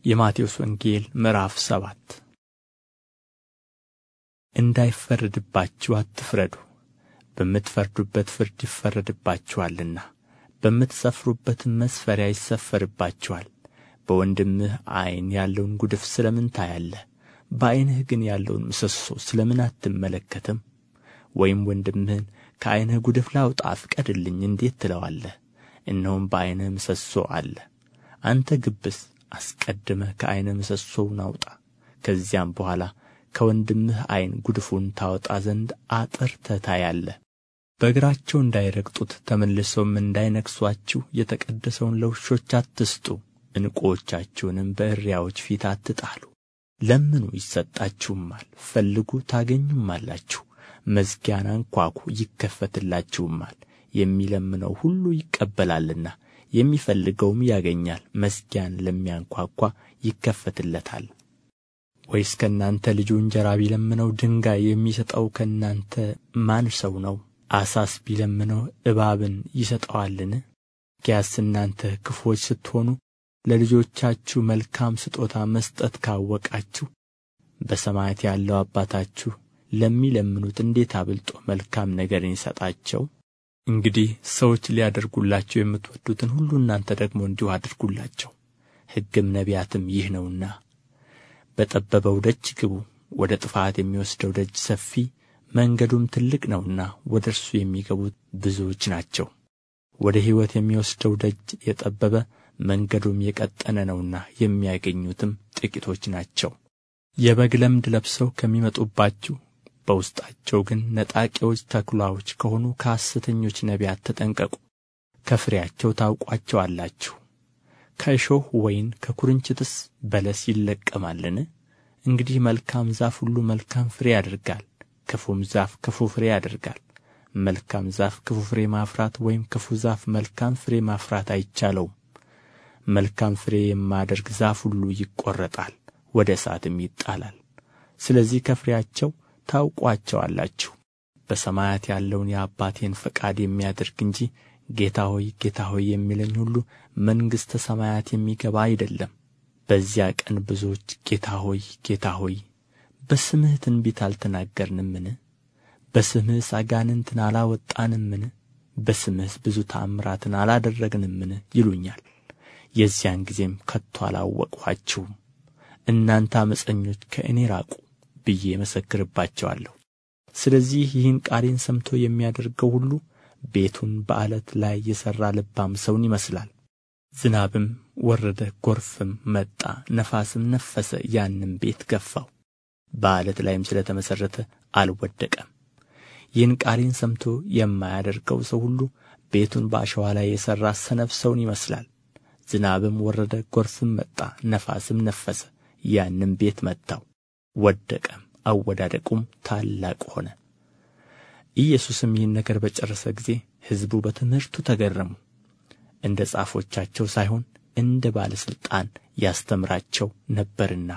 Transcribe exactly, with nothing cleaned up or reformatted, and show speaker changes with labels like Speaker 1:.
Speaker 1: የማቴዎስ ወንጌል ምዕራፍ ሰባት እንዳይፈረድባችሁ አትፍረዱ፣ በምትፈርዱበት ፍርድ ይፈረድባችኋልና፣ በምትሰፍሩበትም መስፈሪያ ይሰፈርባችኋል። በወንድምህ ዓይን ያለውን ጉድፍ ስለ ምን ታያለህ? በዓይንህ ግን ያለውን ምሰሶ ስለ ምን አትመለከትም? ወይም ወንድምህን ከዓይንህ ጉድፍ ላውጣ ፍቀድልኝ እንዴት ትለዋለህ? እነሆም በዓይንህ ምሰሶ አለ። አንተ ግብዝ፣ አስቀድመህ ከዓይንህ ምሰሶውን አውጣ፣ ከዚያም በኋላ ከወንድምህ ዓይን ጉድፉን ታወጣ ዘንድ አጥርተህ ታያለህ። በእግራቸው እንዳይረግጡት ተመልሰውም እንዳይነክሱአችሁ የተቀደሰውን ለውሾች አትስጡ፣ ዕንቁዎቻችሁንም በእሪያዎች ፊት አትጣሉ። ለምኑ ይሰጣችሁማል፣ ፈልጉ ታገኙማላችሁ፣ መዝጊያን አንኳኩ ይከፈትላችሁማል። የሚለምነው ሁሉ ይቀበላልና የሚፈልገውም ያገኛል፣ መዝጊያን ለሚያንኳኳ ይከፈትለታል። ወይስ ከእናንተ ልጁ እንጀራ ቢለምነው ድንጋይ የሚሰጠው ከእናንተ ማን ሰው ነው? ዓሣስ ቢለምነው እባብን ይሰጠዋልን? እንኪያስ እናንተ ክፉዎች ስትሆኑ ለልጆቻችሁ መልካም ስጦታ መስጠት ካወቃችሁ በሰማያት ያለው አባታችሁ ለሚለምኑት እንዴት አብልጦ መልካም ነገርን ይሰጣቸው። እንግዲህ ሰዎች ሊያደርጉላችሁ የምትወዱትን ሁሉ እናንተ ደግሞ እንዲሁ አድርጉላቸው። ሕግም ነቢያትም ይህ ነውና። በጠበበው ደጅ ግቡ፣ ወደ ጥፋት የሚወስደው ደጅ ሰፊ መንገዱም ትልቅ ነውና ወደ እርሱ የሚገቡት ብዙዎች ናቸው። ወደ ሕይወት የሚወስደው ደጅ የጠበበ መንገዱም የቀጠነ ነውና የሚያገኙትም ጥቂቶች ናቸው። የበግ ለምድ ለብሰው ከሚመጡባችሁ በውስጣቸው ግን ነጣቂዎች ተኵላዎች ከሆኑ ከሐሰተኞች ነቢያት ተጠንቀቁ። ከፍሬያቸው ታውቋቸዋላችሁ። ከእሾህ ወይን ከኵርንችትስ በለስ ይለቀማልን? እንግዲህ መልካም ዛፍ ሁሉ መልካም ፍሬ ያደርጋል፣ ክፉም ዛፍ ክፉ ፍሬ ያደርጋል። መልካም ዛፍ ክፉ ፍሬ ማፍራት ወይም ክፉ ዛፍ መልካም ፍሬ ማፍራት አይቻለውም። መልካም ፍሬ የማያደርግ ዛፍ ሁሉ ይቈረጣል፣ ወደ እሳትም ይጣላል። ስለዚህ ከፍሬያቸው ታውቋቸዋላችሁ። በሰማያት ያለውን የአባቴን ፈቃድ የሚያደርግ እንጂ ጌታ ሆይ ጌታ ሆይ የሚለኝ ሁሉ መንግሥተ ሰማያት የሚገባ አይደለም። በዚያ ቀን ብዙዎች ጌታ ሆይ ጌታ ሆይ በስምህ ትንቢት አልተናገርንምን? በስምህስ አጋንንትን አላወጣንምን? በስምህስ ብዙ ተአምራትን አላደረግንምን? ይሉኛል። የዚያን ጊዜም ከቶ አላወቅኋችሁም፣ እናንተ ዓመፀኞች ከእኔ ራቁ ብዬ እመሰክርባቸዋለሁ። ስለዚህ ይህን ቃሌን ሰምቶ የሚያደርገው ሁሉ ቤቱን በዓለት ላይ የሠራ ልባም ሰውን ይመስላል። ዝናብም ወረደ፣ ጎርፍም መጣ፣ ነፋስም ነፈሰ፣ ያንም ቤት ገፋው፣ በዓለት ላይም ስለ ተመሠረተ አልወደቀም። ይህን ቃሌን ሰምቶ የማያደርገው ሰው ሁሉ ቤቱን በአሸዋ ላይ የሠራ ሰነፍ ሰውን ይመስላል። ዝናብም ወረደ፣ ጎርፍም መጣ፣ ነፋስም ነፈሰ፣ ያንም ቤት መታው፣ ወደቀም፣ አወዳደቁም ታላቅ ሆነ። ኢየሱስም ይህን ነገር በጨረሰ ጊዜ ሕዝቡ በትምህርቱ ተገረሙ። እንደ ጻፎቻቸው ሳይሆን እንደ ባለ ሥልጣን ያስተምራቸው ነበርና።